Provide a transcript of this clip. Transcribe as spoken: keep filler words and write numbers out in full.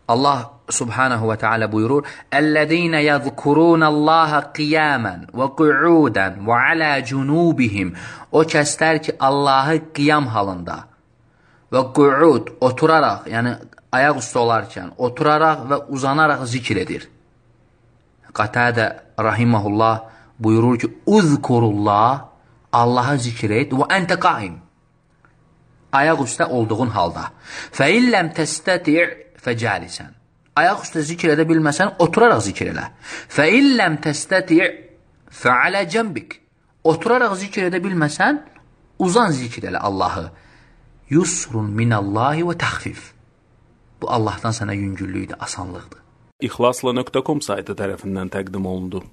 Allah subhanahu və teala buyurur: "Ellezine yezkurunallaha qiyaman və qu'udan və ala junubihim." O kəslər ki, Allahı qiyam halında və qu'ud, oturaraq, yəni ayaq üstə olarkən, oturaraq və uzanaraq zikr edir. Qatadə rahimehullah buyurur ki: "Uzkurullah, Allahı zikr et və ente qaim." Ayaq üstə olduğun halda. Fə illəm təstəti' fəcəlisən. Ayaq üstə zikr edə bilməsən, oturaraq zikr elə. Fə illəm təstəti' fəalə cəmbik. Oturaraq zikr edə bilməsən, uzan zikr elə Allahı. Yusrun minallahi və təxfif. Bu Allahdan sənə yüngüllükdür, asanlıqdır. İxlasla nöqtə com saytı tərəfindən təqdim olundu.